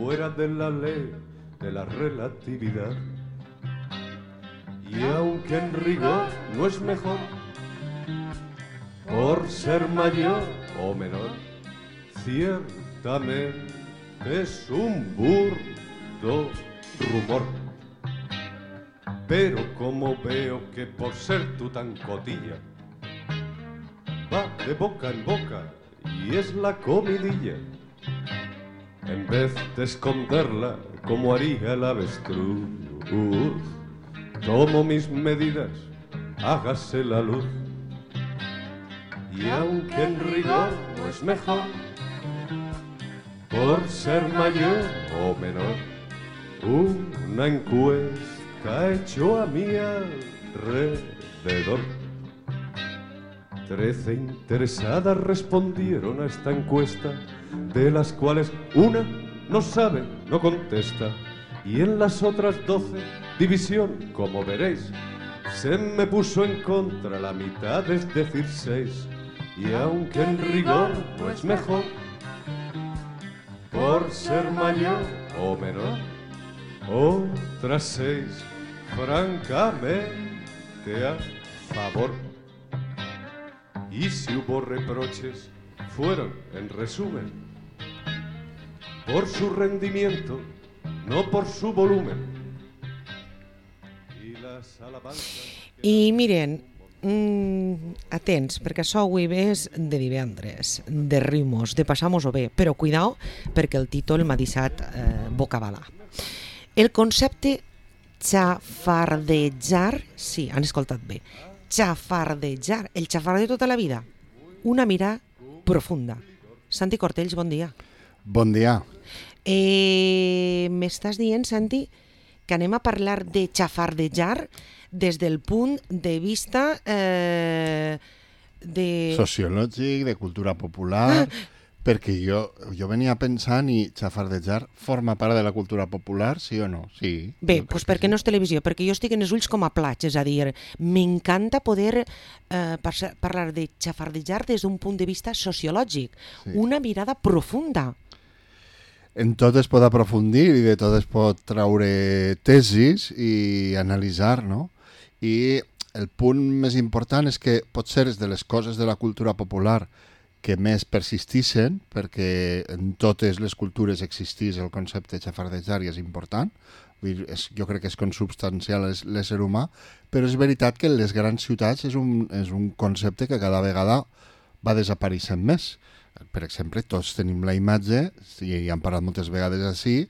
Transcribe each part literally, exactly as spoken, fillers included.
fuera de la ley de la relatividad. Y aunque en rigor no es mejor por ser mayor o menor, ciertamente es un burdo rumor. Pero como veo que por ser tú tan cotilla va de boca en boca y es la comidilla, en vez de esconderla como haría el avestruz, tomo mis medidas, hágase la luz. Y aunque en rigor no es mejor por ser mayor o menor, una encuesta hecho a mi alrededor. Trece interesadas respondieron a esta encuesta, de las cuales una no sabe, no contesta, y en las otras doce, división, como veréis, se me puso en contra la mitad, es decir, seis. Y aunque en rigor no es mejor por ser mayor o menor, otras seis, francamente a favor. Y si hubo reproches, fueron, en resumen, por su rendimiento, no por su volumen. Y las alabanzas... I miren, mm, atents, perquè això avui és de divendres, de ritmos, de passar-nos-ho bé, però cuidao, perquè el títol m'ha deixat eh, bocabalà. El concepte xafardejar, sí, han escoltat bé, xafardejar, el xafar de tota la vida, una mirada profunda. Santi Cortells, bon dia. Bon dia. Eh, M'estàs dient, Santi, que anem a parlar de xafardejar des del punt de vista eh, de... sociològic, de cultura popular, ah. perquè jo, jo venia pensant i xafardejar forma part de la cultura popular, sí o no? Sí. Bé, doncs perquè sí. No és televisió, perquè jo estic en els ulls com a plats, és a dir, m'encanta poder eh, parlar de xafardejar des d'un punt de vista sociològic, sí. Una mirada profunda. En tot es pot aprofundir i de tot es pot traure tesis i analitzar, no? I el punt més important és que potser és de les coses de la cultura popular que més persistixen, perquè en totes les cultures existís el concepte de xafardejar i és important, vull dir, és, jo crec que és consubstancial a l'ésser humà, però és veritat que en les grans ciutats és un, és un concepte que cada vegada va desapareixent més. Per exemple, tots tenim la imatge, i hem parlat moltes vegades així,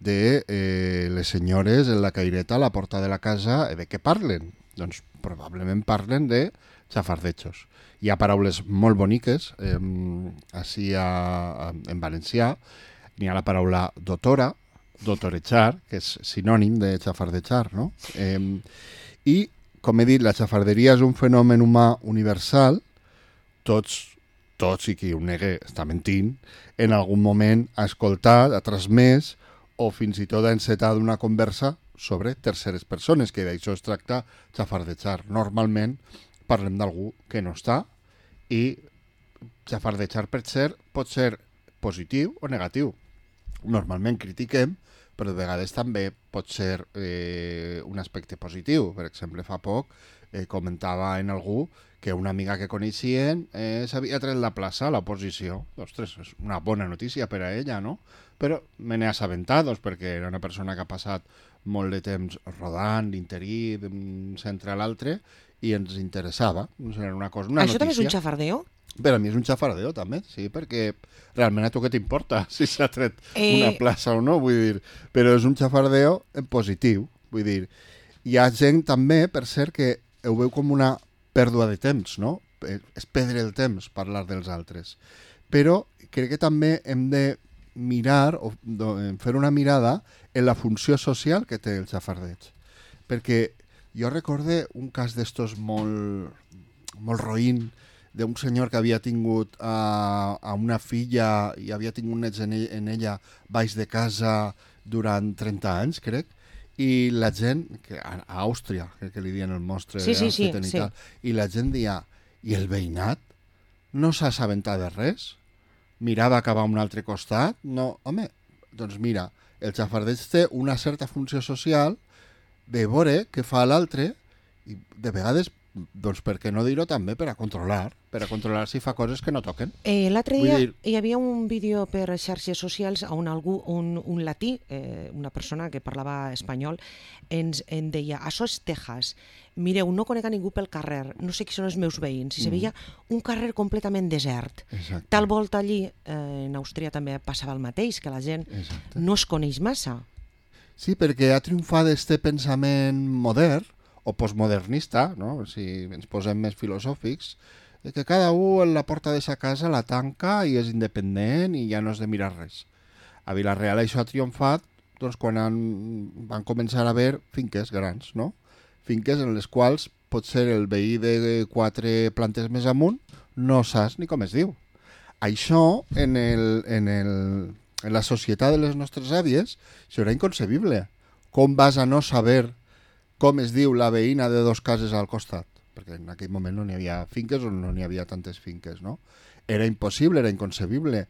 de eh, les senyores en la caireta a la porta de la casa, de què parlen? Doncs probablement parlen de xafardejos. Hi ha paraules molt boniques, eh, així a, a, en valencià, n'hi ha la paraula dotora, dotorejar, que és sinònim de xafardejar, no? Eh, I, com he dit, la xafarderia és un fenomen humà universal, tots tots, i qui ho nega està mentint, en algun moment ha escoltat, ha transmès o fins i tot ha encetat una conversa sobre terceres persones, que d'això es tracta xafardejar. Normalment parlem d'algú que no està i xafardejar per ser pot ser positiu o negatiu. Normalment critiquem, però de vegades també pot ser eh, un aspecte positiu. Per exemple, fa poc eh, comentava en algú que una amiga que coneixien eh, s'havia tret la plaça a l'oposició. Ostres, és una bona notícia per a ella, no? Però me n'he assabentat, doncs, perquè era una persona que ha passat molt de temps rodant l'interí d'un centre a l'altre i ens interessava. Era una cosa, una Això notícia. també és un xafardeo? Per a mi és un xafardeo, també, sí, perquè realment a tu què t'importa si s'ha tret eh... una plaça o no, vull dir, però és un xafardeo en positiu, vull dir. Hi ha gent també, per cert, que ho veu com una pèrdua de temps, no? És perdre el temps parlar dels altres. Però crec que també hem de mirar, o fer una mirada en la funció social que té el xafardeig. Perquè jo recorde un cas d'estos molt, molt roïn, d'un senyor que havia tingut a, a una filla i havia tingut nets en, ell, en ella baix de casa durant trenta anys, crec, i la gent, que a, a Àustria, crec que li diuen el mostre, sí, sí, sí, i, sí. tal, i la gent deia, i el veïnat no s'ha assabentat de res? Mirava cap a un altre costat? No, home, doncs mira, el xafardeig té una certa funció social de veure què fa l'altre i de vegades, doncs per què no dir-ho també, per a controlar, per a controlar si fa coses que no toquen. Eh, L'altre dia Vull dir... hi havia un vídeo per xarxes socials on algú, un, un latí, eh, una persona que parlava espanyol, ens en deia, això és Texas, mireu, no conec a ningú pel carrer, no sé qui són els meus veïns, i se veia un carrer completament desert. Exacte. Tal volta allí, eh, en Àustria també passava el mateix, que la gent Exacte. no es coneix massa. Sí, perquè ha triomfat este pensament modern o postmodernista, no? Si ens posem més filosòfics, de que cada un en la porta de sa casa la tanca i és independent i ja no has de mirar res. A Vila-real això ha triomfat doncs, quan han, van començar a haver finques grans, no? Finques en les quals potser el veí de quatre plantes més amunt no saps ni com es diu. Això en, el, en, el, en la societat de les nostres àvies serà inconcebible. Com vas a no saber com es diu la veïna de dos cases al costat? Perquè en aquell moment no n'hi havia finques o no n'hi havia tantes finques, no? Era impossible, era inconcebible.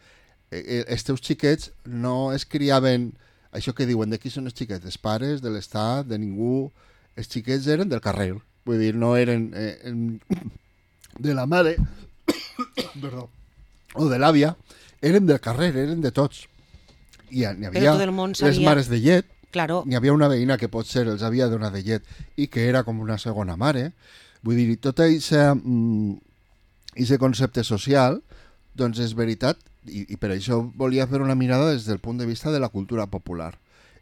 Els teus xiquets no es criaven, això que diuen, de qui són els xiquets? Dels pares, de l'estat, de ningú. Els xiquets eren del carrer, vull dir, no eren eh, de la mare perdó, o de l'àvia, eren del carrer, eren de tots. I n'hi havia les mares de llet, claro. N'hi havia una veïna que potser els havia donat de llet i que era com una segona mare. Vull dir, tot aquest mm, concepte social, doncs és veritat, i, i per això volia fer una mirada des del punt de vista de la cultura popular.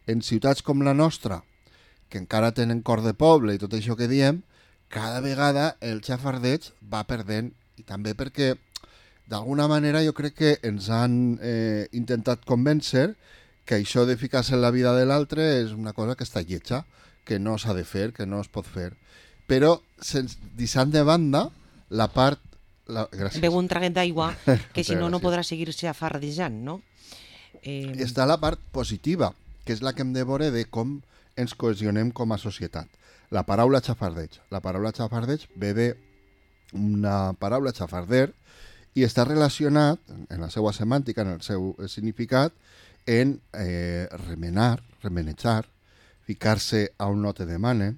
En ciutats com la nostra, que encara tenen cor de poble i tot això que diem, cada vegada el xafardeig va perdent, i també perquè d'alguna manera jo crec que ens han eh, intentat convèncer que això de ficar-se en la vida de l'altre és una cosa que està lletja, que no s'ha de fer, que no es pot fer. Però, sense, deixant de banda, la part... La... Beu un traguet d'aigua, que si no, no podrà seguir-se afardejant, no? Eh... Està la part positiva, que és la que hem de veure de com ens cohesionem com a societat. La paraula xafardeig. La paraula xafardeig ve d'una paraula xafarder i està relacionat, en la seva semàntica, en el seu significat, en eh, remenar, remenejar, ficar-se a on no te demanen,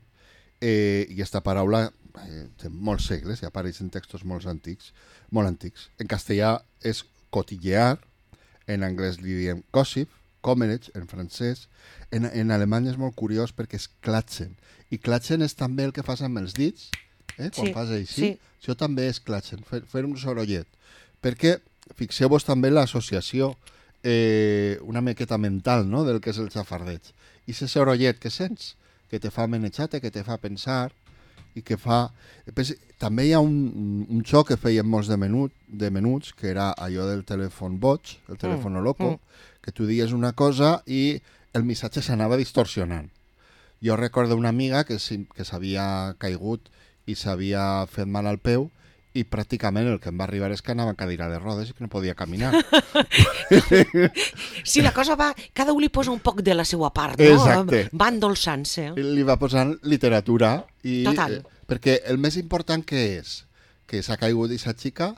eh, i aquesta paraula eh, té molts segles i apareix en textos molt antics, molt antics. En castellà és cotillear, en anglès li diem gossip, commerage, en francès, en, en alemany és molt curiós perquè és klatschen, i klatschen és també el que fas amb els dits, eh, quan sí, fas així, sí. Això també és klatschen, fer, fer un sorollet, perquè fixeu-vos també l'associació Eh, una miqueta mental, no?, del que és el xafardeig. I ese sorollet que sents, que te fa menejate, que te fa pensar i que fa... Pues, també hi ha un, un xoc que feien molts de, menut, de menuts, que era allò del telèfon boig, el telèfon mm, loco, mm. que tu dies una cosa i el missatge s'anava distorsionant. Jo recordo una amiga que, que s'havia caigut i s'havia fet mal al peu i pràcticament el que em va arribar és que anava en cadira de rodes i que no podia caminar. Sí, la cosa va... Cada un li posa un poc de la seva part, no? Exacte. Va endolçant-se. Li va posant literatura. I, Total. Eh, perquè el més important que és que s'ha caigut i s'ha xica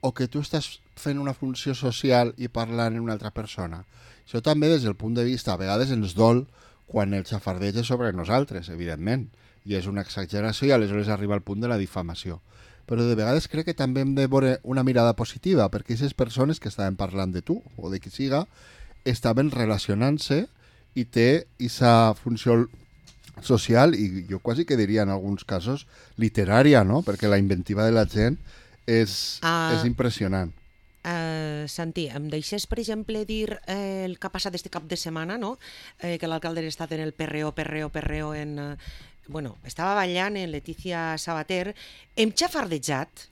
o que tu estàs fent una funció social i parlant amb una altra persona. Això també des del punt de vista, a vegades ens dol quan el xafardeig és sobre nosaltres, evidentment, i és una exageració i aleshores arriba al punt de la difamació. Però de vegades crec que també hem de veure una mirada positiva, perquè aquestes persones que estaven parlant de tu, o de qui siga, estaven relacionant-se i té aquesta funció social, i jo quasi que diria en alguns casos literària, no? Perquè la inventiva de la gent és, uh, és impressionant. Uh, Santi, em deixes, per exemple, dir eh, el que ha passat este cap de setmana, no? Eh, que l'alcalde ha estat en el perreo, perreo, perreo en... Uh, bueno, estava ballant en Letícia Sabater, hem xafardejat,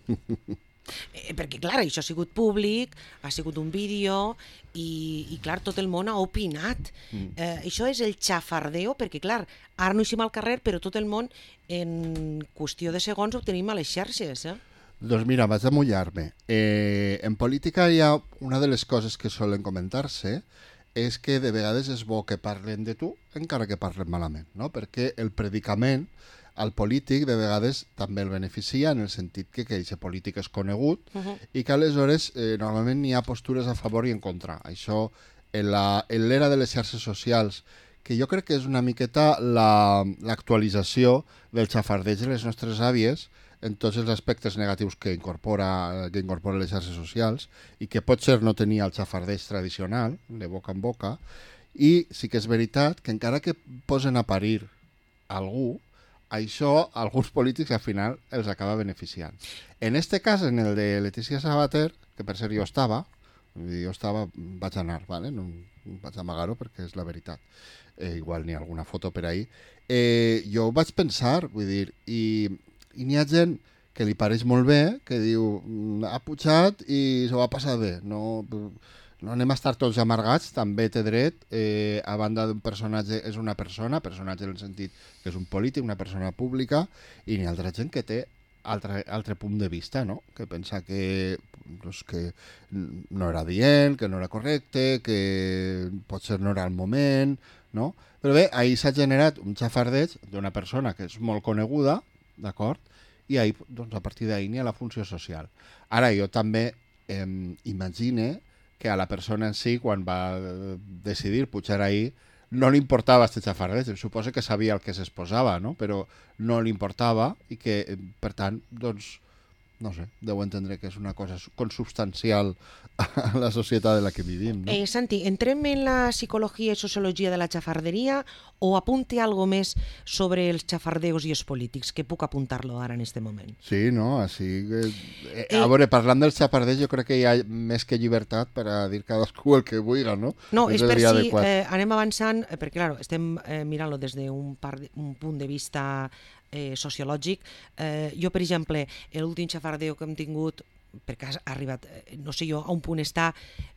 eh, perquè, clar, això ha sigut públic, ha sigut un vídeo, i, i clar, tot el món ha opinat. Mm. Eh, això és el xafardeo, perquè, clar, ara no eixim al carrer, però tot el món, en qüestió de segons, ho tenim a les xarxes, eh? Doncs mira, vaig a mullar-me. Eh, en política hi ha una de les coses que solen comentar-se, és que de vegades és bo que parlen de tu, encara que parlen malament, no? Perquè el predicament al polític de vegades també el beneficia en el sentit que aquest polític és conegut uh-huh. i que aleshores eh, normalment hi ha postures a favor i en contra. Això en l'era de les xarxes socials, que jo crec que és una miqueta l'actualització la, del xafardeig de les nostres àvies en tots els aspectes negatius que incorpora, que incorpora les xarxes socials i que potser no tenia el xafardeig tradicional, de boca en boca, i sí que és veritat que encara que posen a parir algú, això alguns polítics al final els acaba beneficiant. En este cas, en el de Letícia Sabater, que per cert jo estava, jo estava, vaig anar, vale? No vaig amagar-ho perquè és la veritat, eh, igual n'hi ha alguna foto per ahí, eh, jo vaig pensar, vull dir, i, i n'hi ha gent que li pareix molt bé, que diu, ha pujat i s'ho va passar bé, no... no anem a estar tots amargats, també té dret, eh, a banda d'un personatge, és una persona, personatge en el sentit que és un polític, una persona pública, i n'hi ha altra gent que té altre, altre punt de vista, no? Que pensa que, doncs, que no era dient, que no era correcte, que potser no era el moment, no? Però bé, ahir s'ha generat un xafardeig d'una persona que és molt coneguda, d'acord? I ahir, doncs, a partir d'ahir n'hi ha la funció social. Ara, jo també eh, imagine que a la persona en si, quan va decidir pujar ahí, no li importava este xafardeig. Suposo que sabia el que s'exposava, no? Però no li importava i que, per tant, doncs, no sé, deu entendre que és una cosa consubstancial a la societat en la que vivim, no? Eh, Santi, entrem en la psicologia i sociologia de la xafarderia o apunte algo més sobre els xafardeos i els polítics, que puc apuntar-lo ara en este moment? Sí, no, així... Eh, eh, a veure, parlant dels xafardeos, jo crec que hi ha més que llibertat per a dir cadascú el que vulgui, no? No, és per si eh, anem avançant, eh, perquè, clar, estem eh, mirant-lo des d'un un punt de vista eh, sociològic. Eh, jo, per exemple, l'últim xafardeo que hem tingut, perquè ha arribat, no sé jo, a un punt està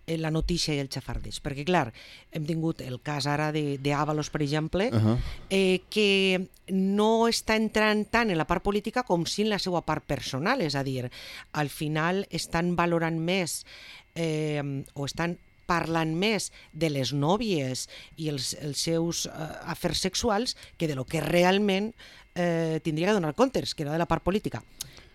la notícia i el xafardeig, perquè clar, hem tingut el cas ara d'Ábalos, per exemple, uh-huh. eh, que no està entrant tant en la part política com si en la seva part personal, és a dir, al final estan valorant més eh, o estan parlant més de les nòvies i els, els seus eh, afers sexuals que de lo que realment eh, tindria que donar comptes, que era de la part política,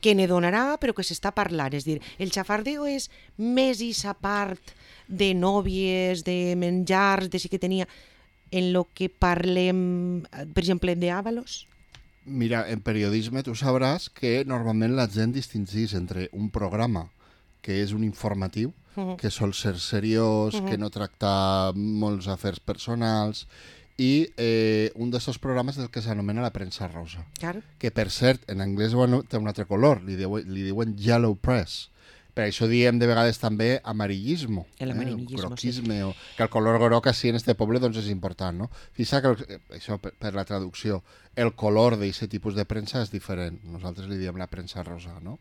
que ne donarà però que s'està parlant. És dir, el xafardeo és més esa part de nòvies, de menjars, de sí que tenia, en lo que parlem, per exemple, d'Ábalos? Mira, en periodisme tu sabràs que normalment la gent distingís entre un programa que és un informatiu, uh-huh. que sol ser seriós, uh-huh. que no tracta molts afers personals, i eh, un d'aquests programes del que s'anomena la premsa rosa. Claro. Que, per cert, en anglès bueno, té un altre color, li, diu, li diuen yellow press. Per això diem de vegades també amarillismo, el amarillismo, eh, groquisme, sí. O, que el color groc així en este poble doncs, és important, no? Fixa que, el, això per, per la traducció, el color d'aquest tipus de premsa és diferent. Nosaltres li diem la premsa rosa, no?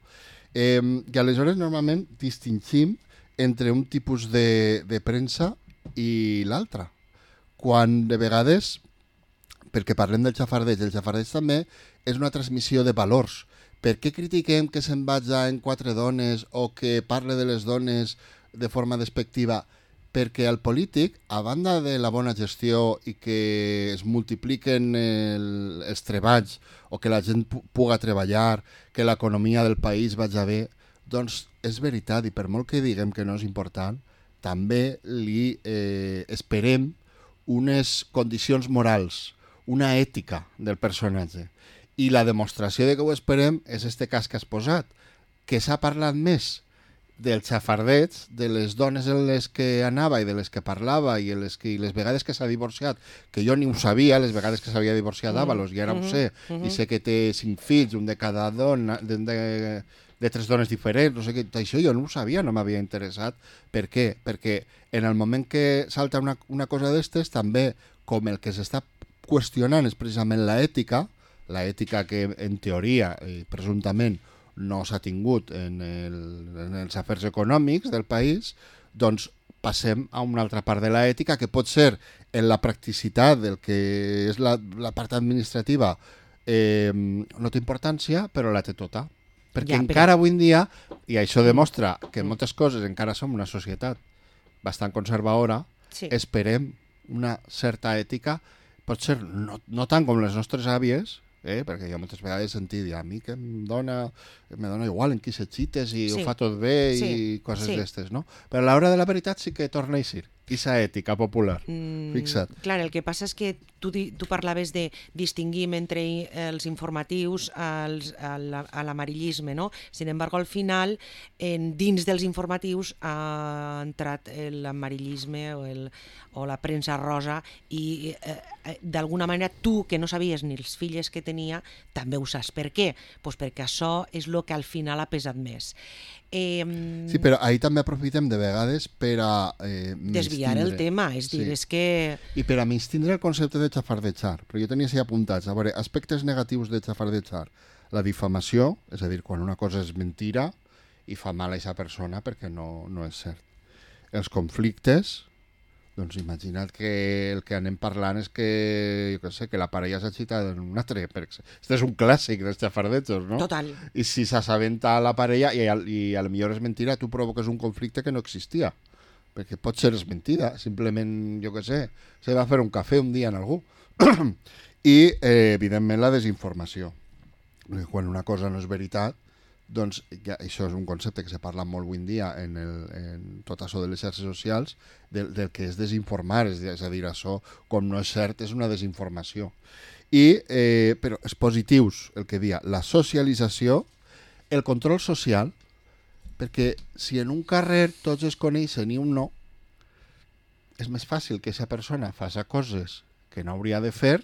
Eh, I aleshores normalment distingim entre un tipus de, de premsa i l'altre. Quan de vegades, perquè parlem del xafardeig, el xafardeig també és una transmissió de valors. Per què critiquem que se'n vaja en quatre dones o que parle de les dones de forma despectiva? Perquè el polític, a banda de la bona gestió i que es multipliquen el, els treballs o que la gent pu- puga treballar, que l'economia del país vaja bé, doncs és veritat, i per molt que diguem que no és important, també li eh, esperem unes condicions morals, una ètica del personatge. I la demostració de que ho esperem és este cas que has posat, que s'ha parlat més del xafardeig, de les dones en les que anava i de les que parlava i les, que, i les vegades que s'ha divorciat, que jo ni ho sabia, les vegades que s'havia divorciat d'Ábalos, i ara ho sé, i sé que té cinc fills, un de cada dona, de, de, de tres dones diferents, no sé què, això jo no ho sabia, no m'havia interessat. Per què? Perquè en el moment que salta una, una cosa d'estes, també, com el que s'està qüestionant és precisament l'ètica, l'ètica que en teoria i presumptament no s'ha tingut en, el, en els afers econòmics del país, doncs passem a una altra part de l'ètica que pot ser en la practicitat del que és la, la part administrativa eh, no té importància, però la té tota. Perquè ja, encara però... avui en dia, i això demostra que en moltes coses encara som una societat bastant conservadora, sí. Esperem una certa ètica, pot ser no, no tant com les nostres àvies, eh? Perquè jo moltes vegades he sentit a mi que em dona, me dona igual en qui s'excites i sí. Ho fa tot bé sí. I coses sí. D'estes, no? Però a l'hora de la veritat sí que torna a eixir. Esa ètica popular, Mm, fixa't. clar, el que passa és que tu, di- tu parlaves de distingir entre els informatius als, a la- a l'amarillisme, no? Sin embargo, al final, en, dins dels informatius ha entrat l'amarillisme o, el, o la premsa rosa i eh, eh, d'alguna manera tu, que no sabies ni els filles que tenia, també ho saps. Per què? Pues perquè això és el que al final ha pesat més. Eh, Sí, però ahir també aprofitem de vegades per a eh, desviar el mistindre. tema, és dir, Sí. és que... I per a mistindre el concepte de xafardejar, perquè jo tenia així apuntats, a veure, aspectes negatius de xafardejar. La difamació, és a dir, quan una cosa és mentira i fa mal a aquesta persona perquè no, no és cert. Els conflictes, doncs imagina't que el que anem parlant és que, jo què sé, que la parella s'ha xitat en un altre. Este és un clàssic dels xafardejos, no? Total. I si s'assabenta la parella i, al- i a lo millor és mentira, tu provoques un conflicte que no existia. Perquè pot ser és mentida, simplement, jo què sé, se va fer un cafè un dia en algú. I, eh, evidentment, la desinformació. Perquè quan una cosa no és veritat, doncs ja, això és un concepte que se parla molt avui en dia en, el, en tot això de les xarxes socials, del, del que és desinformar, és, és a dir, això, com no és cert, és una desinformació. I, eh, però els positius, el que dia, la socialització, el control social, perquè si en un carrer tots es coneixen i un no, és més fàcil que aquesta persona faci coses que no hauria de fer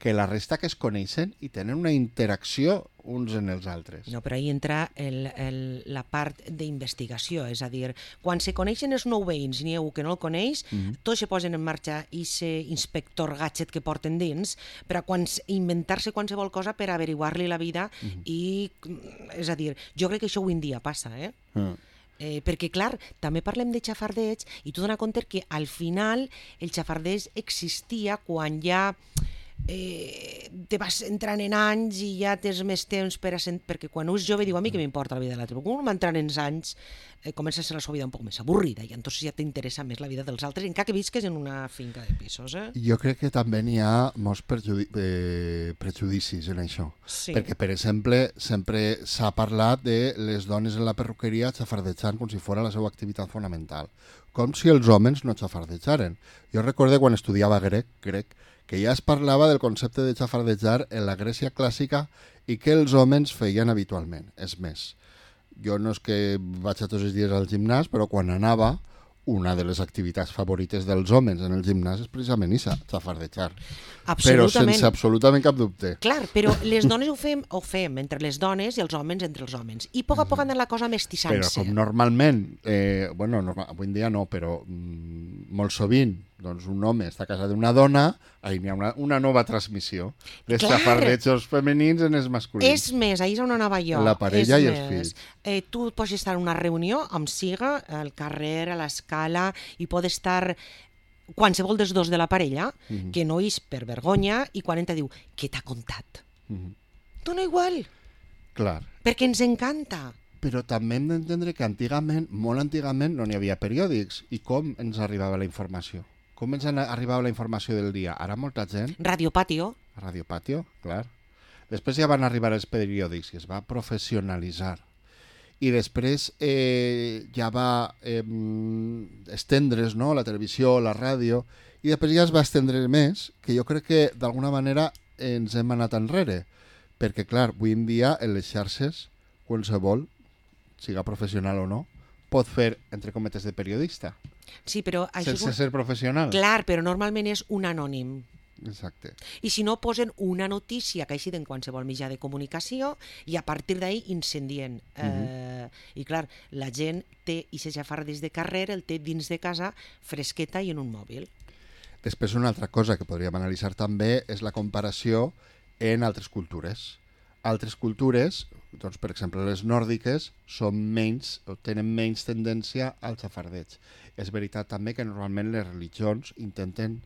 que la resta que es coneixen i tenen una interacció uns en els altres. No, però ahí entra el, el, la part d'investigació, és a dir, quan se coneixen els nou veïns i n'hi ha un que no el coneix, mm -hmm. tots se posen en marxa i se inspector gadget que porten dins per a quan, inventar-se qualsevol cosa per averiguar-li la vida mm -hmm. i, és a dir, jo crec que això avui en dia passa, eh? Mm. Eh, perquè, clar, també parlem de xafardeig i tu dona compte que al final el xafardeig existia quan ja eh, te vas entrant en anys i ja tens més temps per a sent... perquè quan un és jove diu a mi que m'importa la vida de l'altre, però quan un va entrant en anys eh, comença a ser la seva vida un poc més avorrida i entonces ja t'interessa més la vida dels altres, encara que visques en una finca de pisos, eh? Jo crec que també n'hi ha molts perjudi eh, prejudicis en això, Sí. perquè per exemple sempre s'ha parlat de les dones en la perruqueria xafardejant com si fos la seva activitat fonamental, com si els homes no xafardejaren. Jo recordo quan estudiava grec, grec que ja es parlava del concepte de xafardejar en la Grècia clàssica i que els homes feien habitualment. És més, jo no és que vaig a tots els dies al gimnàs, però quan anava, una de les activitats favorites dels homes en el gimnàs és precisament això, xafardejar. Però sense absolutament cap dubte. Clar, però les dones ho fem, ho fem entre les dones i els homes entre els homes. I a poc a poc anar la cosa mestissant-se. Però com normalment, eh, bueno, normal, avui en dia no, però mm, molt sovint, doncs un home està casat d'una dona, ahir n'hi ha una, una nova transmissió dels xafardejos femenins en els masculins. És més, ahir és on anava jo. La parella és i més. els fills. Eh, tu pots estar en una reunió amb siga, al carrer, a l'escala, i pot estar qualsevol dels dos de la parella, mm -hmm. que no és per vergonya, i quan entra diu, què t'ha contat? Mm -hmm. Dona igual. Clar. Perquè ens encanta. Però també hem d'entendre que antigament, molt antigament, no n'hi havia periòdics. I com ens arribava la informació? Com ens arribava la informació del dia? Ara molta gent... Radio Patio. Radio Patio, clar. Després ja van arribar els periòdics i es va professionalitzar. I després eh, ja va eh, estendre's, no?, la televisió, la ràdio, i després ja es va estendre més, que jo crec que d'alguna manera ens hem anat enrere. Perquè, clar, avui en dia en les xarxes, qualsevol, siga professional o no, pot fer, entre cometes, de periodista. Sí, però això sense és un... ser professional. Clar, però normalment és un anònim. Exacte. I si no, posen una notícia que ha sigut en qualsevol mitjà de comunicació i a partir d'ahir incendien. Uh -huh. eh, I clar, la gent té i se xafardeig de carrer, el té dins de casa, fresqueta i en un mòbil. Després una altra cosa que podríem analitzar també és la comparació en altres cultures. Altres cultures, doncs, per exemple les nòrdiques, són menys, o tenen menys tendència al xafardeig. És veritat també que normalment les religions intenten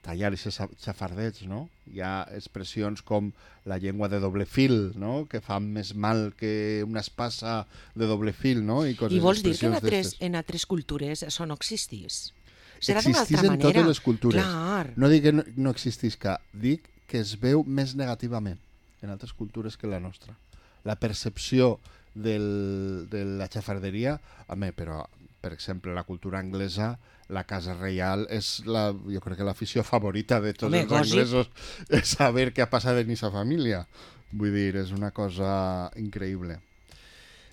tallar aquests xafardeigs, no? Hi ha expressions com la llengua de doble fil, no?, que fan més mal que una espasa de doble fil, no? I, coses, I vols dir que en altres, d'estes. en altres cultures això no existís? Serà d'una Existís altra en manera. totes les cultures. Clar. No dic que no, no existisca, dic que es veu més negativament en altres cultures que la nostra. La percepció del, de la xafarderia, home, però per exemple, la cultura anglesa, la casa reial és, la, jo crec que l'afició favorita de tots Home, els anglesos, és saber què ha passat en aquesta família. Vull dir, és una cosa increïble.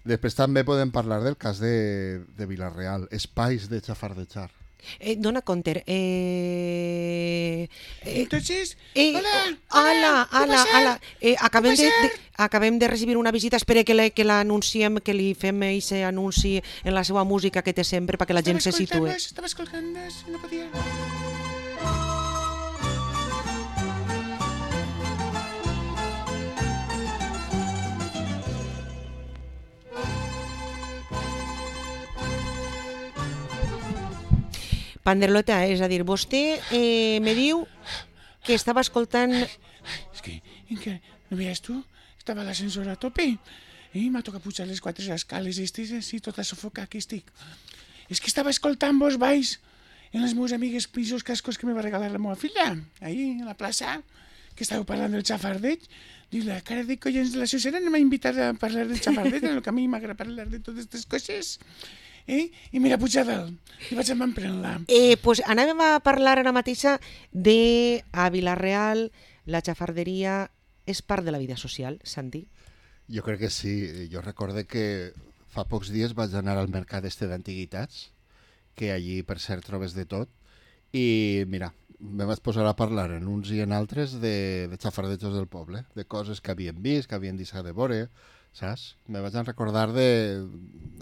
Després també podem parlar del cas de, de Vila-real, espais de xafardejar. Eh, dona compte. Eh, eh, Entonces, eh, hola, hola, hola, hola. Eh, acabem, de, pasar? de, acabem de recibir una visita. Espera que la, que l'anunciem, que li fem aquest anunci en la seva música que té sempre perquè la gent se situe. Estava escoltant, no podia... Panderlota, és a dir, vostè eh, me diu que estava escoltant... És que, que no veies tu? Estava a l'ascensor a tope i m'ha tocat pujar les quatre escales i estic així tota sofocada que estic. És que estava escoltant vos baix en les meves amigues pisos cascos que me va regalar la meva filla, ahí a la plaça, que estàveu parlant del xafardeig. Diu, la cara de collons de la Susana no m'ha invitat a parlar del xafardeig, en el que a mi m'agrada parlar de totes aquestes coses. Eh? I mira, puja dalt, i vaig amb emprenent-la. Eh, pues anàvem a parlar ara mateixa de a Vila-real, la xafarderia és part de la vida social, Santi? Jo crec que sí. Jo recorde que fa pocs dies vaig anar al mercat este d'antiguitats, que allí, per cert, trobes de tot, i mira, me vaig posar a parlar en uns i en altres de, de xafardejos del poble, de coses que havien vist, que havien deixat de veure, saps? Me vaig recordar de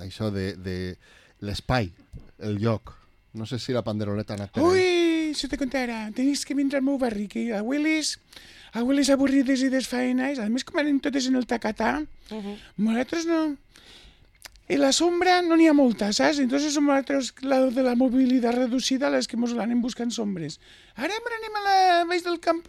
això, de, de l'espai, el lloc. No sé si la panderoleta ha anat per Ui, això te contarà. Tenies que vindre al meu barri, que a Willis, a Willis avorrides i desfaenes, a més com anem totes en el tacatà, uh -huh. nosaltres no... En la sombra no n'hi ha molta, saps? Entonces som nosaltres, la de la mobilitat reducida, les que mos l'anem buscant sombres. Ara anem a la baix del camp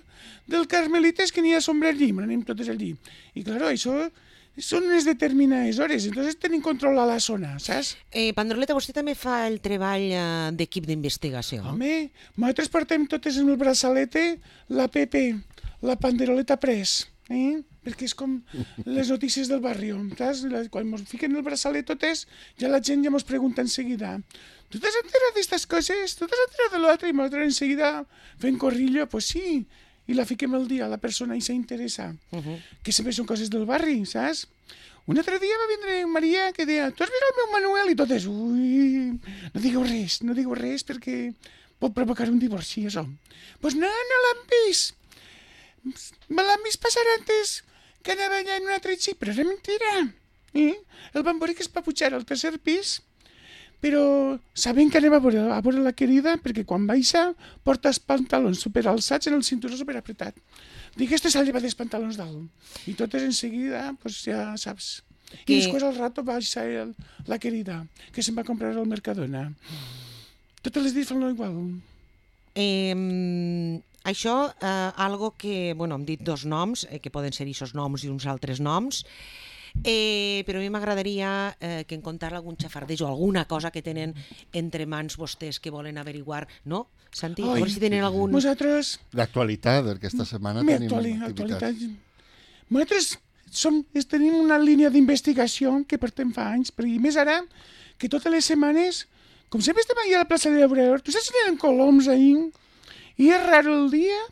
del Carmelites, que n'hi ha sombra allí, anem totes allí. I, claro, això... són unes determinades hores, entonces tenim control a la zona, saps? Eh, Pandroleta, vostè també fa el treball eh, d'equip d'investigació? Home, nosaltres portem totes en el braçalete la Pepe, la Panderoleta Press, eh? Perquè és com les notícies del barri, saps? Quan ens fiquen el braçalet totes, ja la gent ja ens pregunta enseguida, tu t'has enterat d'estes coses? Tu t'has enterat de l'altre? I nosaltres enseguida fent corrillo, pues sí, i la fiquem al dia, la persona i s'interessa. Uh -huh. Que sempre són coses del barri, saps? Un altre dia va vindre Maria que deia, tu has vist el meu Manuel? I totes, ui, no digueu res, no digueu res perquè pot provocar un divorci, això. Doncs pues no, no l'han vist. Me l'han vist passar antes que anava allà en un altre xip, però era mentira. Eh? El van veure que es va pujar al tercer pis, però sabem que anem a veure, a veure la querida perquè quan baixa porta els pantalons superalçats en el cinturó superapretat. Dic, este s'ha llevat els pantalons dalt. I totes en seguida, pues ja saps. Que... I després al rato baixa el, la querida, que se'n va comprar al Mercadona. Totes les dies fan igual. Eh, això, eh, algo que, bueno, hem dit dos noms, eh, que poden ser aquests noms i uns altres noms, Eh, però a mi m'agradaria eh, que en contar algun xafardeig o alguna cosa que tenen entre mans vostès que volen averiguar, no? Santi, Ai, a veure si tenen algun... Nosaltres... D'actualitat, perquè aquesta setmana tenim actuali, activitats. Actualitat. Nosaltres som, tenim una línia d'investigació que portem fa anys, perquè més ara, que totes les setmanes, com sempre estem allà a la plaça de l'Obrador, tu saps si hi ha coloms ahir? I és raro el dia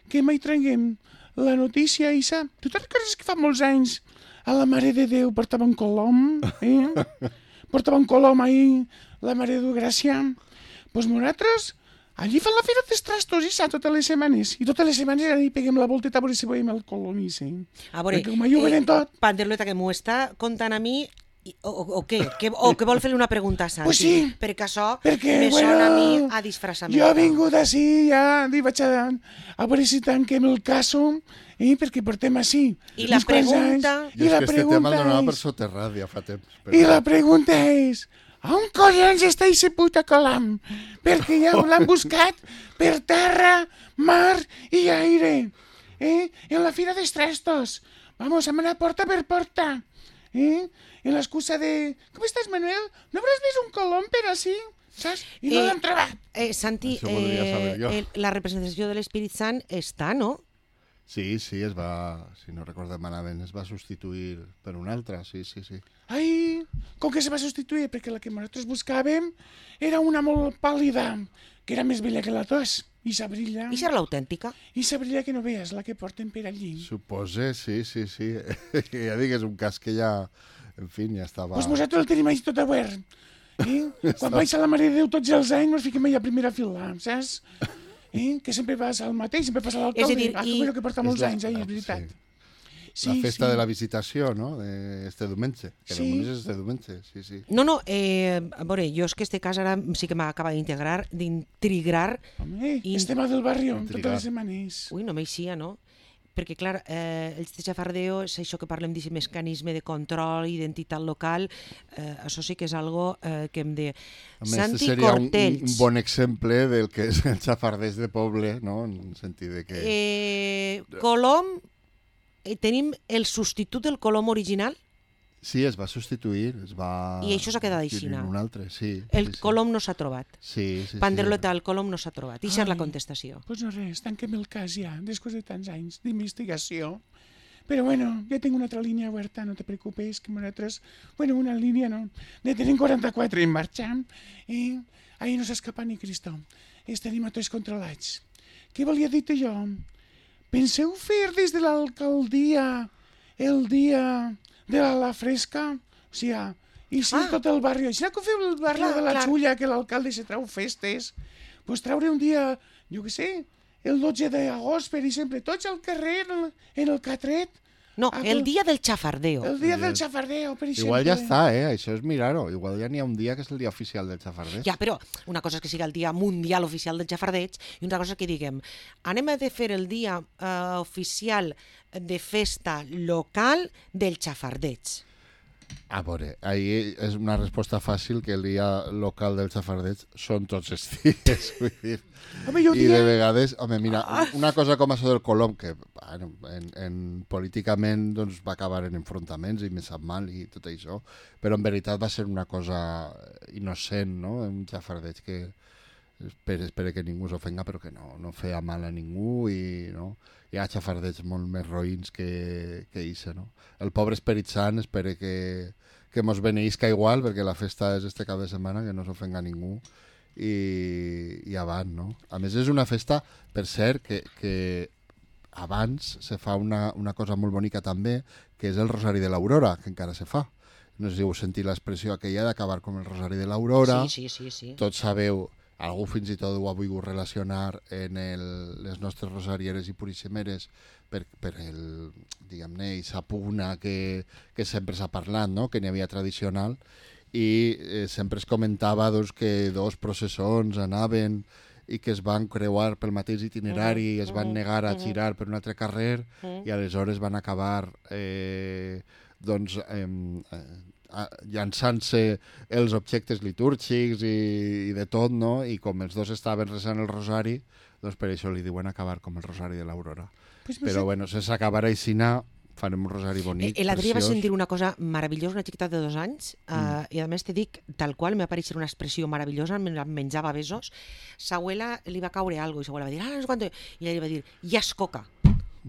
que mai traguem la notícia, Isa. Tu te'n recordes que fa molts anys a la Mare de Déu portava un colom, eh? Portava un colom ahir, la Mare de Déu Gràcia. Doncs pues nosaltres, allí fan la fira dels trastos, Isa, totes les setmanes. I totes les setmanes allà peguem la volteta a veure si veiem el colom, Isa. A veure, perquè com allò ho venen tot. Panderleta, que m'ho està contant a mi, o, o, o què? Que, o que vol fer-li una pregunta a Santi? Pues sí. Perquè això perquè, me bueno, sona a mi a disfressament. Jo he vingut així, ja, i vaig a, a veure si tanquem el caso, eh, perquè portem així. I la pregunta... I la pregunta és... tema el donava per soterrat ja fa temps. Però... I la pregunta és... On collons està aquest puta colam? Perquè ja l'han buscat per terra, mar i aire. Eh? En la fira dels trastos. Vamos, hem anat porta per porta. Eh? En l'excusa de... Com estàs, Manuel? No hauràs vist un colom per així? Saps? I no eh, l'hem trobat. Eh, Santi, eh, eh, la representació de l'Espírit Sant està, no? Sí, sí, es va, si no recordem malament, es va substituir per una altra, sí, sí, sí. Ai, com que se va substituir? Perquè la que nosaltres buscàvem era una molt pàl·lida, que era més bella que la tos, i s'abrilla. I serà l'autèntica? I s'abrilla que no veies, la que porten per allí. Supose, sí, sí, sí. Ja dic, és un cas que ja, en fi, ja estava... Doncs nosaltres el tenim allà tot obert. Eh? Quan vaig a la Mare de Déu tots els anys ens fiquem allà a primera fila, saps? Eh? Que sempre vas al mateix, sempre passa l'alcalde. És a dir, ah, i- que porta molts És la- anys, eh, és veritat. sí. La festa de la visitació, no?, d'este diumenge. Que Sí. sí. És este diumenge, sí, sí. No, no, eh, a veure, jo és que este cas ara sí que m'acaba d'integrar, d'intrigrar. Home, I- és tema del barri Intrigat. totes les setmanes. Ui, no m'eixia, no? Perquè, clar, eh, el de xafardeo és això que parlem d'aquest mecanisme de control, identitat local, eh, això sí que és algo eh, que hem de... A més, Santi seria un, un, Cortells. un bon exemple del que és el xafardès de poble, no?, en el sentit de que... Eh, Colom, eh, tenim el substitut del Colom original, Sí, es va substituir, es va... I això s'ha quedat així, adquirir no? un altre, sí. el sí, sí. Colom no s'ha trobat. Sí, sí, Panderleta, sí. el Colom no s'ha trobat. I això és la Ai. contestació. Doncs pues no res, tanquem el cas ja, després de tants anys d'investigació. Però bueno, ja tinc una altra línia oberta, no te preocupes, que nosaltres... Bueno, una línia no, ne tenim quaranta-quatre en marxa, i ahir no s'escapa ni Cristo. Els tenim a tots controlats. Què volia dir-te jo? Penseu fer des de l'alcaldia el dia de la, la fresca? O sigui, i si Ah. ah. tot el barri... Si no que feu el barri Clar, de la clar. Xulla, que l'alcalde se trau festes, pues traure un dia, jo què sé, el dotze d'agost, per exemple, tots al carrer, en el, en el Catret, No, Ah, el però- dia del xafardeo. el dia El del dia- xafardeo, per exemple. Igual ja està, eh? Això és mirar-ho. Igual ja n'hi ha un dia que és el dia oficial del xafardès. Ja, però una cosa és que siga el dia mundial oficial del xafardeig i una cosa és que diguem, anem a de fer el dia eh, oficial de festa local del xafardeig. A veure, ahir és una resposta fàcil, que el dia local del xafardeig són tots els dies, vull dir. Home, jo I dia... de vegades, home, mira, una cosa com això del Colom, que bueno, en, en, políticament doncs, va acabar en enfrontaments i me sap mal i tot això, però en veritat va ser una cosa innocent, no?, un xafardeig que espero, espero que ningú s'ofenga, però que no, no feia mal a ningú i no, hi ha xafardeigs molt més roïns que, que ix, no? El pobre Esperit Sant espero que, que mos beneïsca igual, perquè la festa és este cap de setmana, que no s'ofenga ningú i, i avant, no? A més és una festa, per cert, que, que abans se fa una, una cosa molt bonica també, que és el Rosari de l'Aurora, que encara se fa. No sé si heu sentit l'expressió aquella d'acabar com el Rosari de l'Aurora. Sí, sí, sí, sí. Tots sabeu, algú fins i tot ho ha volgut relacionar en el, les nostres rosarieres i puriximeres per, per el, diguem-ne, aquesta pugna que, que sempre s'ha parlat, no?, que n'hi havia tradicional, i eh, sempre es comentava doncs, que dos processons anaven i que es van creuar pel mateix itinerari i es van negar a girar per un altre carrer i aleshores van acabar eh, doncs, eh, eh, llançant-se els objectes litúrgics i, i de tot, no? I com els dos estaven resant el rosari, doncs per això li diuen acabar com el rosari de l'Aurora. Pues no Però sé- bueno, sense acabar aixina, farem un rosari bonic, Eh, L'altre dia va preciós. sentir una cosa meravellosa, una xiqueta de dos anys, eh, Mm. i a més te dic, tal qual, me va aparèixer una expressió meravellosa, me la menjava a besos, sa abuela li va caure algo i sa abuela va dir, ah, no sé quanto, i ella li va dir, ja es coca.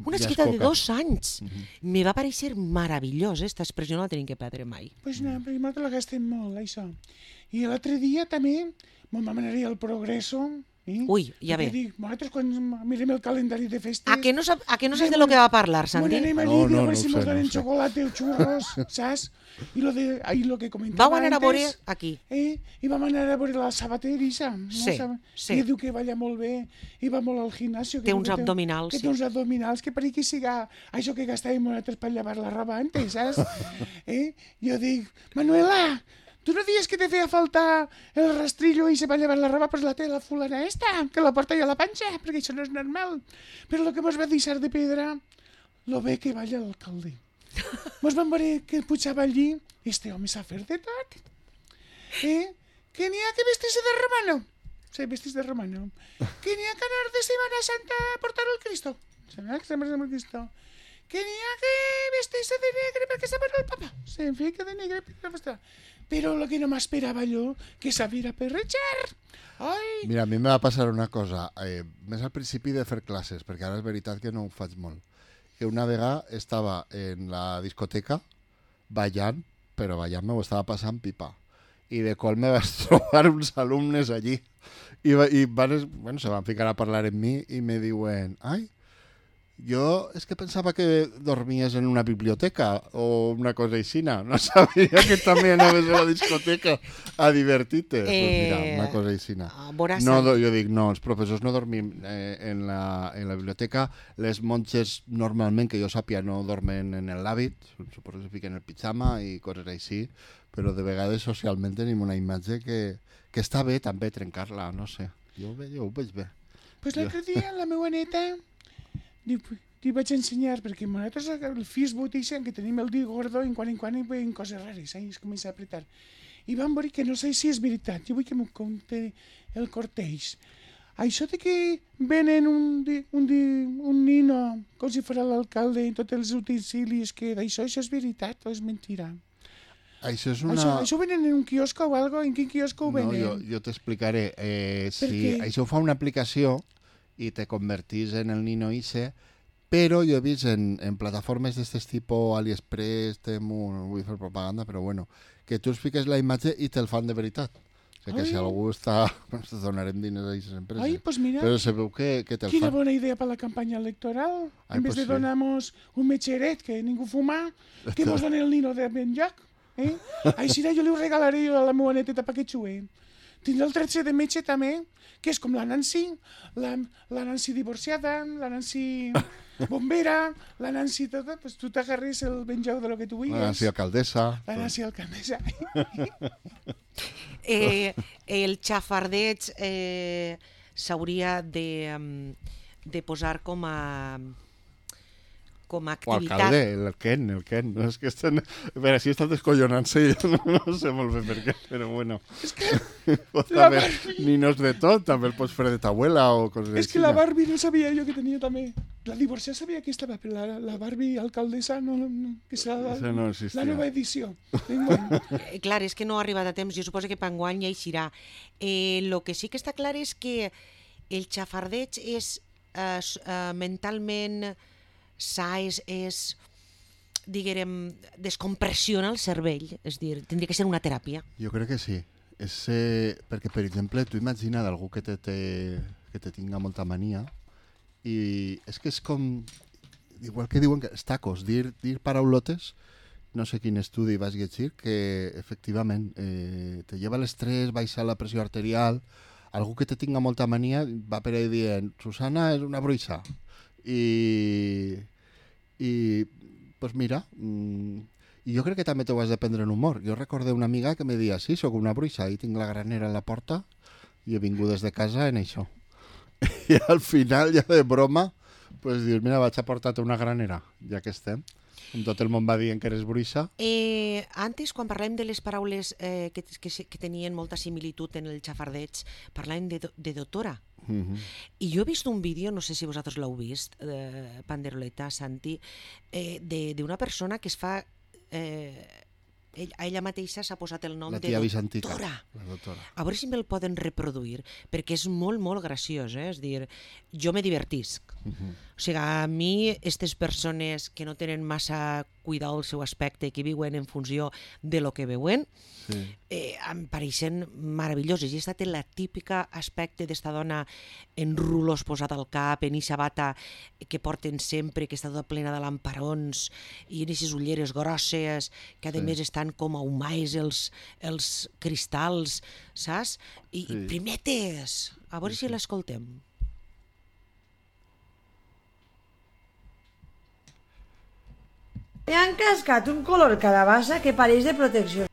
Una Ja es xiqueta de coca. dos anys. Me va parèixer meravellós, eh? Esta expressió no la tenim que perdre mai. Pues no, perquè nosaltres la gastem molt, això. I l'altre dia també me'n vam anar al Progreso. Eh? Ui, ja Perquè ve. Dic, nosaltres quan mirem el calendari de festes... A que no, sap, a que no saps de lo que va parlar, Bueno, Santi? anem allí, No, no, no, a veure no si ho mos sé, no donen ho sé. xocolate o xurros, saps? I lo, de, ahí lo que comentava Vau anar a antes, veure aquí. Eh? I vam anar a veure la sabaterissa. No? Sí, Sab- sí. I diu que balla molt bé, i va molt al gimnasio. que Té diu uns que abdominals, Que sí. té uns abdominals, que per aquí siga això que gastàvem nosaltres per llevar la roba antes, saps? eh? Jo dic, Manuela, tu no dies que te feia falta el rastrillo i se va llevar la roba, pues la té la fulana esta, que la porta ja a la panxa, perquè això no és normal. Però el que mos va deixar de pedra, lo bé que balla l'alcalde. Mos vam veure que pujava allí, este home s'ha fet de tot. Eh? Que n'hi ha que vestir-se de romano. Sí, vestir de romano. Que n'hi ha que anar de Semana Santa a portar el Cristo. Semana que Semana Santa el Cristo. Que n'hi ha que vestir-se de negre perquè se mor el papa. Se fica de negre perquè no està. però el que no m'esperava jo, que sabia perrejar. Ai! Mira, a mi me va passar una cosa, eh, més al principi de fer classes, perquè ara és veritat que no ho faig molt, que una vegada estava en la discoteca ballant, però ballant m'ho estava passant pipa, i de qual me vaig trobar uns alumnes allí, i, i van, bueno, se van ficar a parlar amb mi i me diuen, ai, jo és que pensava que dormies en una biblioteca o una cosa així, no sabia que també anaves a la discoteca a divertir-te. Eh, pues mira, una cosa així. No, jo dic, no, els professors no dormim eh, en, la, en la biblioteca, les monges normalment, que jo sàpia, no dormen en l'hàbit, suposo que se fiquen el pijama i coses així, però de vegades socialment tenim una imatge que, que està bé també trencar-la, no sé, jo, jo ho veig bé. Pues l'altre dia la meva neta t'hi vaig ensenyar, perquè nosaltres el Facebook dicen que tenim el dit gordo i en quan en quan hi veiem coses rares, eh? Es comença a apretar. I vam veure que no sé si és veritat, jo vull que m'ho conte el Corteix. Això de que venen un, di, un, di, un nino com si fos l'alcalde i tots els utensílios que d'això, això és veritat o és mentira? Això és una... Això, això ho venen en un quiosco o algo? En quin quiosco ho venen? No, jo, jo t'explicaré. Eh, si això ho fa una aplicació i te convertís en el nino ixe, però jo he vist en, en plataformes d'aquest tipus, AliExpress, Temu, no vull fer propaganda, però bueno, que tu expliques la imatge i te'l fan de veritat. O sigui que si algú està... Ens donarem diners a aquestes empreses. Ai, pues mira, però se veu que, que te'l quina fan. bona idea per la campanya electoral. Ai, en vez pues de sí. donar-nos un metgeret que ningú fuma, que mos donen el nino de ben lloc. Eh? Així jo li ho regalaré a la meva neteta perquè xue. Tindrà el tretze de metge també, que és com la Nancy, la, la Nancy divorciada, la Nancy bombera, la Nancy tota, pues tu t'agarres el benjau de lo que tu vulguis. La Nancy alcaldessa. La Nancy alcaldessa. eh, el xafardeig eh, s'hauria de, de posar com a... com a activitat. O alcalde, el Ken, el Ken. No, és que estan... A veure, si està descollonant-se, jo no, no sé molt bé per què, però bueno. És que... Pot haver ninos de tot, també el pots fer de t'abuela o coses així. És que la Barbie no sabia jo que tenia també. La divorciada sabia que estava, però la, la Barbie alcaldessa no, no que serà la, no la nova edició. Eh, clar, és que no ha arribat a temps. Jo suposo que per enguany ja eixirà. Eh, lo que sí que està clar és que el xafardeig és eh, eh, mentalment... sa és, és diguem, descompressiona el cervell, és dir, tindria que ser una teràpia. Jo crec que sí. És, eh, perquè, per exemple, tu imagina d'algú que te, te, que te tinga molta mania i és que és com, igual que diuen que els tacos, dir, dir paraulotes, no sé quin estudi vas llegir, que efectivament eh, te lleva l'estrès, baixa la pressió arterial, algú que te tinga molta mania va per ahí dient, Susana és una bruixa. I, i pues mira, mm, i jo crec que també t'ho has de prendre en humor. Jo recordé una amiga que me deia, sí, sóc una bruixa i tinc la granera a la porta i he vingut des de casa en això. I al final, ja de broma, pues dius, mira, vaig a portar-te una granera, ja que estem. Com tot el món va dient que eres bruixa. Eh, antes, quan parlàvem de les paraules eh, que, que, que tenien molta similitud en el xafardeig, parlàvem de, de doctora. Uh-huh. I jo he vist un vídeo, no sé si vosaltres l'heu vist, eh, Panderoleta, Santi, eh, d'una persona que es fa... Eh, ell, a ella mateixa s'ha posat el nom la de doctora. La doctora. A veure si me'l poden reproduir, perquè és molt, molt graciós, eh? És dir, jo me divertisc. Uh-huh. O sigui, a mi, aquestes persones que no tenen massa cuidar el seu aspecte, que viuen en funció de lo que veuen, sí. eh, em pareixen meravelloses. I aquesta té la típica aspecte d'esta dona en rulos posat al cap, en eixa bata que porten sempre, que està tota plena de lamparons i en aquestes ulleres grosses, que a sí. més estan com ahumais els, els cristalls, saps? I, sí. i primetes! A veure sí, si sí. l'escoltem. Me han cascat un color calabassa que pareix de protecció.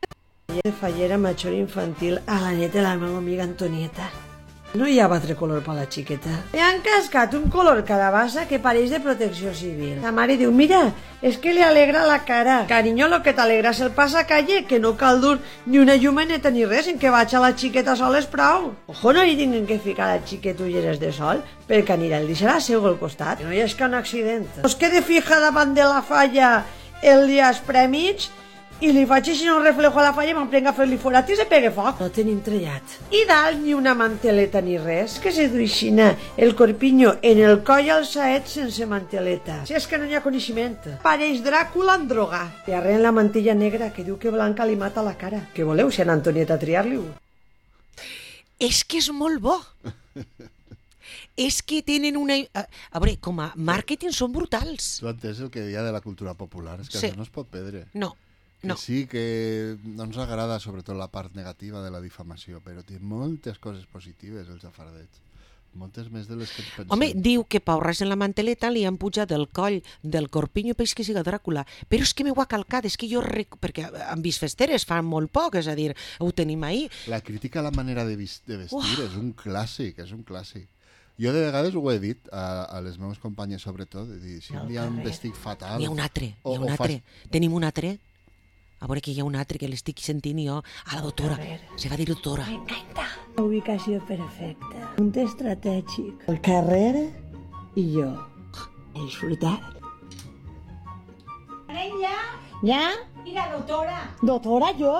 De fallera major infantil a la neta de la meva amiga Antonieta. No hi ha altre color per la xiqueta. Me han cascat un color calabassa que pareix de protecció civil. La mare diu, mira, és que li alegra la cara. Carinyo, lo que t'alegra és el passacalle, que no cal dur ni una llumeneta ni res, en que vaig a la xiqueta sol és prou. Ojo, no hi tinguin que ficar a la xiqueta ulleres de sol, perquè anirà el deixarà seu al costat. No hi és que un accident. Es quede fija davant de la falla el dia esprèmig I li faig així un reflejo a la falla i me'n prenc a fer-li forat i se pegue foc. No tenim trellat. I dalt ni una manteleta ni res, que se duixina el corpiño en el coll al saet sense manteleta. Si és que no hi ha coneixement. Pareix Dràcula en droga. I arren la mantilla negra que diu que Blanca li mata la cara. Què voleu, si a Antonieta triar-li-ho? És que és molt bo. És que tenen una... A, a veure, com a màrqueting són brutals. Tu entens el que deia de la cultura popular, és que Sí. això no es pot perdre. No, Que no. sí, que no ens agrada sobretot la part negativa de la difamació, però té moltes coses positives el xafardeig. Moltes més de les que ens pensem. Home, diu que paurres en la manteleta li han pujat el coll del corpiño peix que siga Dràcula, però és que m'ho ha calcat, és que jo... Rec... perquè han vist festeres fa molt poc, és a dir, ho tenim ahir. La crítica a la manera de, vis- de vestir Uah. és un clàssic, és un clàssic. Jo de vegades ho he dit a, a les meves companyes, sobretot, de dir, si un dia un vestit fatal... N'hi ha un altre, o- n'hi ha un o fas- altre. Tenim un altre. A veure que hi ha un altre que l'estic sentint jo a la doctora. Se va dir doctora. La ubicació perfecta. Un estratègic. El carrer i jo. És veritat. Ja, Ja? mira, doctora. Doctora, jo?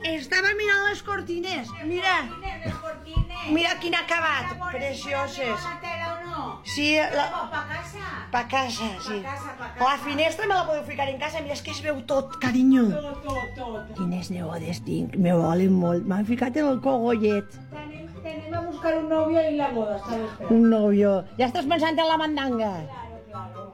Estava mirant les cortines. Mira, Les cortines. mira quin acabat. La Precioses. tela o no? Sí, la... Oh, pa casa. Pa casa, sí. Pa casa, pa casa. La finestra me la podeu ficar en casa. Mira, és que es veu tot, carinyo. Tot, tot, tot. Quines nebodes tinc. Me volen molt. M'han ficat en el cogollet. Tenim, tenim a buscar un novio i la boda, està esperant. Un novio. Ja estàs pensant en la mandanga. Claro, claro.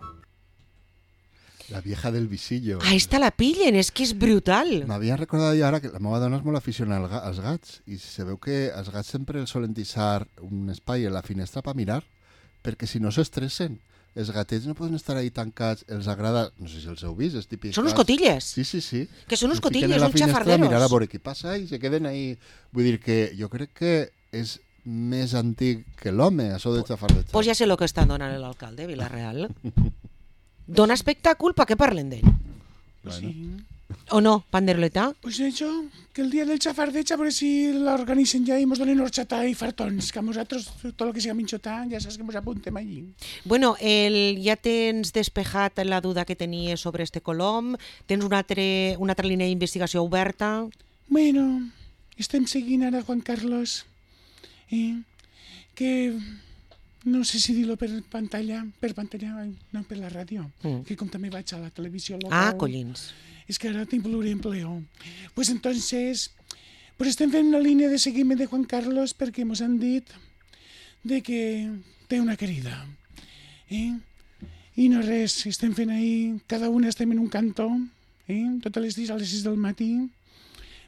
La vieja del visillo. Ah, esta la pillen, és que és brutal. M'havia recordat jo ara que la meva dona és molt aficionada al ga- als gats i se veu que els gats sempre els solen deixar un espai a la finestra per mirar perquè si no s'estressen. Els gatets no poden estar ahí tancats, els agrada, no sé si els heu vist, els típics Són uns gats. cotilles. Sí, sí, sí. Que són uns Es fiquen cotilles, a la uns finestra a xafarderos. mirar a veure què passa i se queden ahí. Vull dir que jo crec que és més antic que l'home, això de xafardeig. Pues ja sé el que està donant l'alcalde de Vilareal. Dona espectacle per què parlen d'ell. Bueno. Sí. O no, Panderoleta? Pues això, que el dia del xafardeig a veure si l'organitzen ja i mos donen horchata i fartons, que a nosaltres tot el que siga minxotar ja saps que mos apuntem allí. Bueno, el, ja tens despejat la duda que tenies sobre este colom? Tens una altra, una altra línia d'investigació oberta? Bueno, estem seguint ara Juan Carlos, eh? que no sé si dir-lo per pantalla, per pantalla, ai, no, per la ràdio, Mm. que com també vaig a la televisió local. Ah, collins. Es que ahora tengo pluriempleo. Pues entonces, pues estem fent una línia de seguiment de Juan Carlos perquè mos han dit de que té una querida. Eh? I no res, estem fent ahí, cada una estem en un cantó, eh? totes les dies a les sis del matí.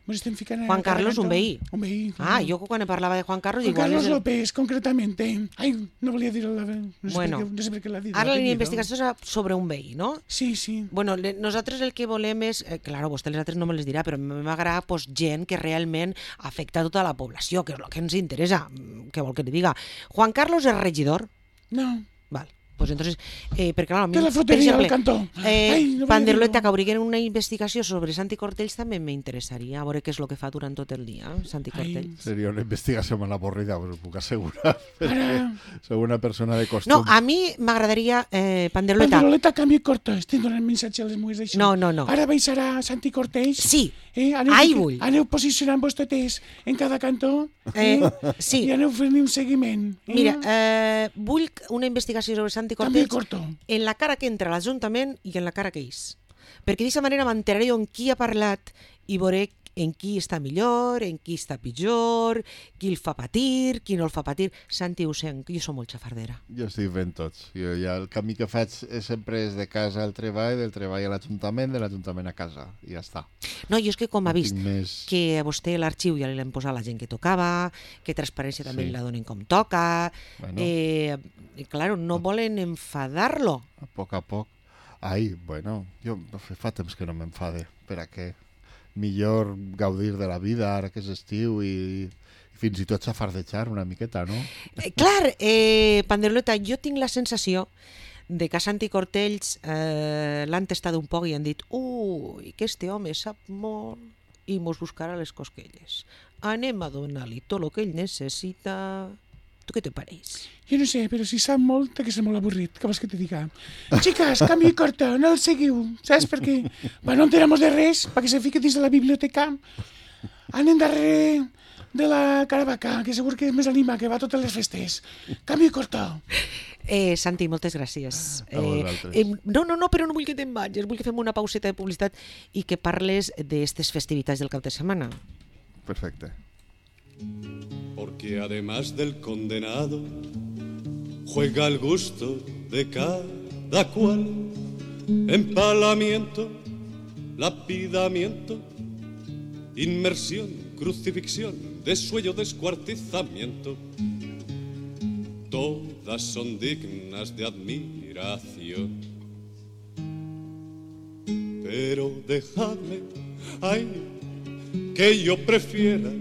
Mos estem ficant a Juan cada Carlos, un cantó. veí. Un veí. Ah, claro. jo quan parlava de Juan Carlos... Juan igual Carlos és el... López, concretamente. Ai, no volia dir la... No sé, Bueno, per què, no sé per què l'ha dit. Ara la línia l'apellido. d'investigació és sobre un veí, no? Sí, sí. Bueno, le- nosaltres el que volem és, eh, claro, vostè les altres no me les dirà, però m'agrada pues, gent que realment afecta a tota la població, que és el que ens interessa, mm, què vol que li diga. Juan Carlos és regidor? No. Val. Pues entonces, eh, perquè clar, a mi, Té la per fruteria al exemple, cantó. eh, Ai, no volia Panderoleta, dir-ho. que obriguen una investigació sobre Santi Cortells també m'interessaria, a veure què és el que fa durant tot el dia, Santi Ai. Cortells. Seria una investigació molt avorrida, us ho puc assegurar. Ara, Sou una persona de costum. No, a mi m'agradaria, eh, Panderoleta... Panderoleta, canvi corto. Estic donant missatge a les mujeres d'això. No, no, no. Ara baixarà Santi Cortells. Sí, Eh? Aneu, Ai, fica- vull. Aneu posicionant-vos totes en cada cantó. eh, sí. I aneu fent un seguiment. Eh? Mira, eh, vull una investigació sobre Santi Canvi Cortells corto. en la cara que entra a l'Ajuntament i en la cara que és. Perquè d'aquesta manera m'enteraré en qui ha parlat i veuré en qui està millor, en qui està pitjor, qui el fa patir, qui no el fa patir. Santi ho sent, jo som molt xafardera. Jo estic fent tots. Jo ja el camí que faig és sempre és de casa al treball, del treball a l'Ajuntament, de l'Ajuntament a casa. I ja està. No, jo és que com ha No vist tinc més... que a vostè l'arxiu ja li l'hem posat la gent que tocava, que transparència també Sí. li la donen com toca, Bueno. eh, i claro, no volen enfadar-lo. A poc a poc. Ai, bueno, jo fa temps que no m'enfade. Per a què? Millor gaudir de la vida ara que és estiu i, i fins i tot xafardejar una miqueta, no? Eh, clar, eh, Panderoleta, jo tinc la sensació de que a Santi Cortells eh, l'han testat un poc i han dit ui, que este home sap molt i mos buscarà les cosquelles. Anem a donar-li tot el que ell necessita Tu què te pareix? Jo no sé, però si sap molt, té que ser molt avorrit, què vols que te diga? Chicas, canvi corta, no el seguiu, saps? Perquè va, no enteramos de res, perquè se fiquen dins de la biblioteca. Anem darrere de la Caravaca, que segur que és més anima, que va a totes les festes. Canvi corta. Eh, Santi, moltes gràcies. A vosaltres. Eh, eh, no, no, no, però no vull que te'n vagis, vull que fem una pauseta de publicitat i que parles d'estes festivitats del cap de setmana. Perfecte. Porque además del condenado juega el gusto de cada cual, empalamiento, lapidamiento, inmersión, crucifixión, desuello, descuartizamiento, todas son dignas de admiración. Pero dejadme, ay, que yo prefiera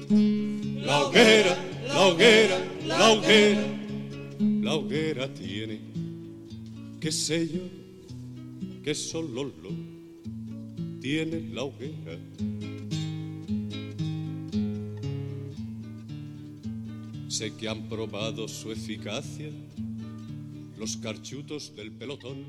la hoguera, la hoguera, la hoguera. La hoguera tiene, qué sé yo, que solo lo tiene la hoguera. Sé que han probado su eficacia los carchutos del pelotón.